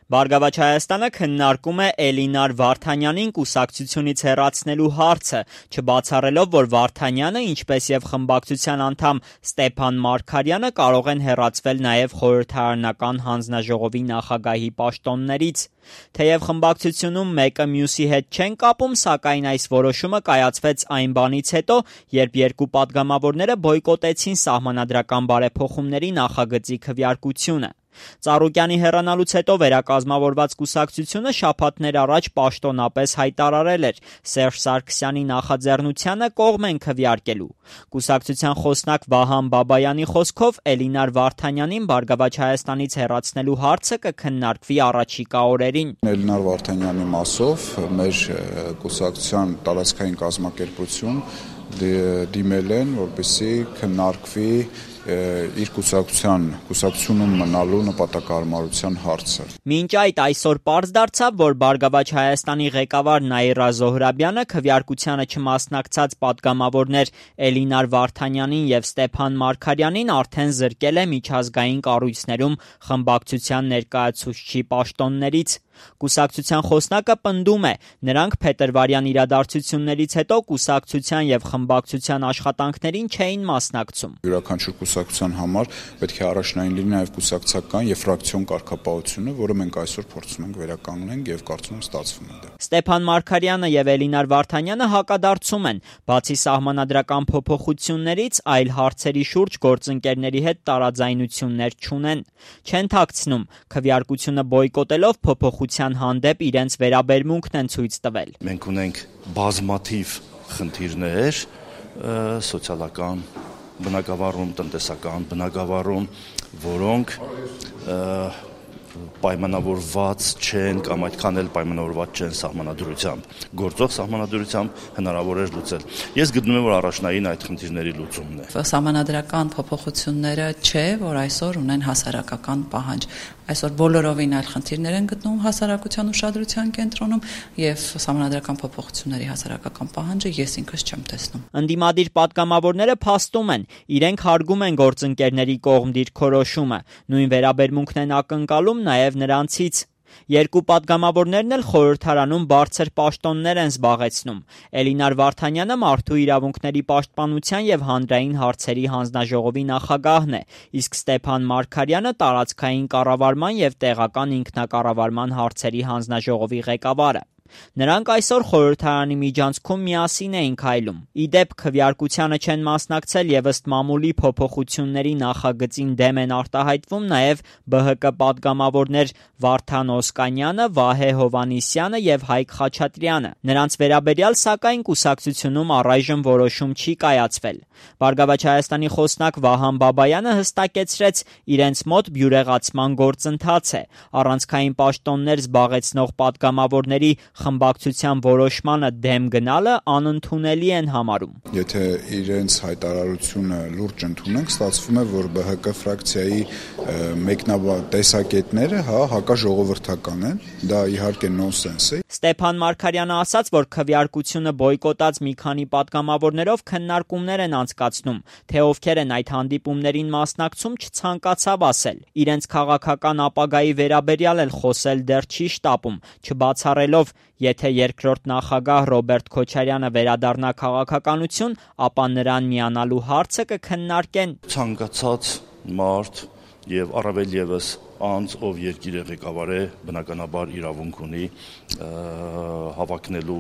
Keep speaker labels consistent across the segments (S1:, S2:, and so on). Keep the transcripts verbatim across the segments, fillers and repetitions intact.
S1: Բարգավաճ Հայաստանը քննարկում է Էլինար Վարդանյանին կուսակցությունից հեռացնելու հարցը, չբացառելով, որ Վարդանյանը, ինչպես եւ խմբակցության անդամ Ստեփան Մարգարյանը կարող են հեռացվել նաեւ խորհրդարանական հանձնաժողովի նախագահի պաշտոններից։ Թեև խմբակցությունում մեկը մյուսի հետ չեն կապում, սակայն այս որոշումը կայացվեց այն բանից հետո, երբ երկու պատգամավորները բոյկոտեցին սահմանադրական բարեփոխումների նախագծի քվեարկությունը։ Ծառուկյանի հեռանալուց հետո վերակազմավորված կուսակցությունը շաբաթներ առաջ պաշտոնապես հայտարարել էր Սերժ Սարգսյանի նախաձեռնությանը կողմ են քվեարկելու։ Կուսակցության խոսնակ Վահան Բաբայանի խոսքով Էլինար Վարդանյանին Բարգավաճ Հայաստանից հեռացնելու հարցը կքննարկվի առաջիկա օրերին։
S2: Էլինար Վարդանյանի մասով մեր կուսակցության տարածքային կազմակերպություն դիմել են, որպեսզի քննարկվի իր կուսակցության կուսակցությունում մնալու նպատակահարմարության հարցը։
S1: Մինչ այդ այսօր պարզ դարձավ, որ Բարգավաճ Հայաստանի ղեկավար Նաիրա Զոհրաբյանը քվեարկությանը չմասնակցած պատգամավորներ Էլինար Վարդանյանին եւ Ստեփան Մարգարյանին արդեն զրկել է միջազգային կառույցներում խմբակցության ներկայացուցչի պաշտոններից։ Կուսակցության խոսնակը պնդում է, նրանք փետրվարյան իրադարձություններից հետո կուսակցության եւ խմբակցության աշխատանքներին չէին մասնակցում։
S2: Յուրաքանչյուր կուսակցության համար պետք է առաջնային լինի նաեւ կուսակցական եւ ֆրակցիոն կարգապահությունը, որը մենք այսօր փորձում ենք վերականգնենք եւ կարծում եմ ստացվում է դա։
S1: Ստեփան Մարգարյանը եւ Էլինար Վարդանյանը հակադարձում են, բացի սահմանադրական փոփոխություններից, այլ հարցերի շուրջ գործընկերների հետ տարաձայնություններ չունեն։ Չեն թաքցնում, քվեարկությունը բոյկոտելով փոփոխության հանդեպ իրենց վերաբերմունքն են ցույց տվել։
S3: Մենք ունենք բազմաթիվ խնդիրներ սոցիալական բնակավարում, տնտեսական բնակավարում, որոնք պայմանավորված չեն կամ այդքան էլ պայմանավորված չեն սահմանադրությամբ։ Գործող սահմանադրությամբ հնարավոր է լուծել։ Ես գտնում եմ, որ առաջնային այդ խնդիրների լուծումն է։
S4: Սահմանադրական փոփոխությունները չէ, որ այսօր ունեն հասարակական պահանջ։ Այսօր բոլորովին այլ խնդիրներ են գտնվում հասարակության ուշադրության կենտրոնում եւ սահմանադրական փոփոխությունների հասարակական պահանջը ես ինքս չեմ տեսնում։
S1: Ընդդիմադիր պատգամավորները փաստում են, իրենք հարգում են գործընկերների կողմ դիրքորոշումը, նույն վերաբերմունքն են ակնկալում նաեւ նրանցից։ Երկու պատգամավորներն էլ խորհրդարանում բարձր պաշտոններ են զբաղեցնում։ Էլինար Վարդանյանը մարդու իրավունքների պաշտպանության եւ հանրային հարցերի հանձնաժողովի նախագահն է, իսկ Ստեփան Մարգարյանը տարածքային կառավարման եւ տեղական ինքնակառավարման հարցերի հանձնաժողովի ղեկավարը։ Նրանք այսօր խորհրդարանի միջանցքում միասին էին քայլում։ Իդեպ քվեարկությանը չեն մասնակցել եւ ըստ մամուլի փոփոխությունների նախագծին դեմ են արտահայտվում նաեւ B H K պատգամավորներ Վարդան Օսկանյանը, Վահե Հովհաննիսյանը եւ Հայկ Խաչատրյանը։ Նրանց վերաբերյալ սակայն կուսակցությունում առայժմ որոշում չի կայացվել։ Բարգավաճ Հայաստանի խոսնակ Վահան Բաբայանը հստակեցրեց, իրենց մոտ բյուրեղացման գործընթաց է։ Առանցքային պաշտոններ զբաղեցնող պատգամավորների խմբակցության որոշմանը դեմ գնալը անընդունելի են համարում։
S2: Եթե իրենց հայտարարությունը լուրջ ընդունենք, ստացվում է, որ B H K ֆրակցիայի մեկնաբան տեսակետները, հա, հակաժողովրդական են, դա իհարկե նոնսենս է։
S1: Ստեփան Մարգարյանը ասաց, որ քվեարկությունը բոյկոտած մի քանի պատգամավորներով քննարկումներ են անցկացնում, թե ովքեր են այդ հանդիպումներին մասնակցում, չցանկացավ ասել։ Իրենց քաղաքական ապագայի վերաբերյալ էլ խոսել դեռ չի շտապում, չբացառելով, եթե երկրորդ նախագահ Ռոբերտ Քոչարյանը վերադառնա քաղաքականություն, ապա նրան միանալու հարցը կքննարկեն։
S3: Ցանկացած մարդ եւ առավել եւս անձ, ով երկիրը ղեկավար է, բնականաբար իրավունք ունի հավակնելու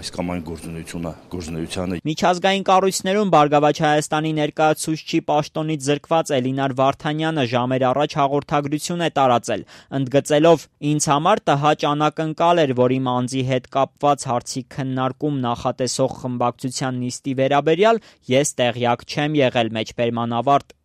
S3: այս կամ այն գործունեությունը, գործունեությանը։
S1: Միջազգային կառույցներում Բարգավաճ Հայաստանի ներկայացուցչի պաշտոնից զրկված Էլինար Վարդանյանը ժամեր առաջ հաղորդագրություն է տարածել, ընդգծելով. «Ինձ համար տհաճ անակնկալ էր, որ իմ անձի հետ կապված հարցի քննարկում նախատեսող խմբակցության նիստի վերաբերյալ ես տեղյակ չեմ եղել» մեջբերման ավարտ։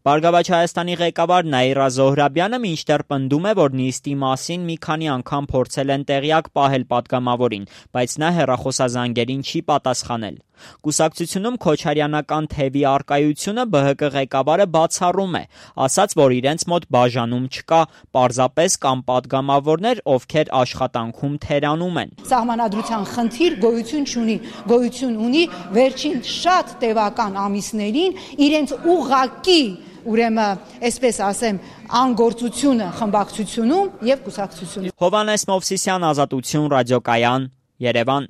S1: Բարգավաճ Հայաստանի ղեկավար Նաիրա Զոհրաբյանը մինչդեռ պնդում է, որ նիստի մասին մի քանի անգամ փորձել են տեղյակ պահել պատգամավորին, բայց նա հեռախոսազանգերին չի պատասխանել։ Կուսակցությունում քոչարյանական թևի առկայությունը B H K ղեկավարը բացառում է, ասաց, որ իրենց մոտ բաժանում չկա, պարզապես կան պատգամավորներ, ովքեր աշխատանքում թերանում են։
S5: Սահմանադրության խնդիր գոյություն չունի, գոյություն ունի վերջին շատ տևական ամիսներին իրենց ուղղակի ուրեմն, այսպես ասեմ, անգործությունը խմբակցությունում եւ կուսակցությունում։
S1: Հովհաննես Մովսիսյան, Ազատություն, ռադիոկայան, Երևան։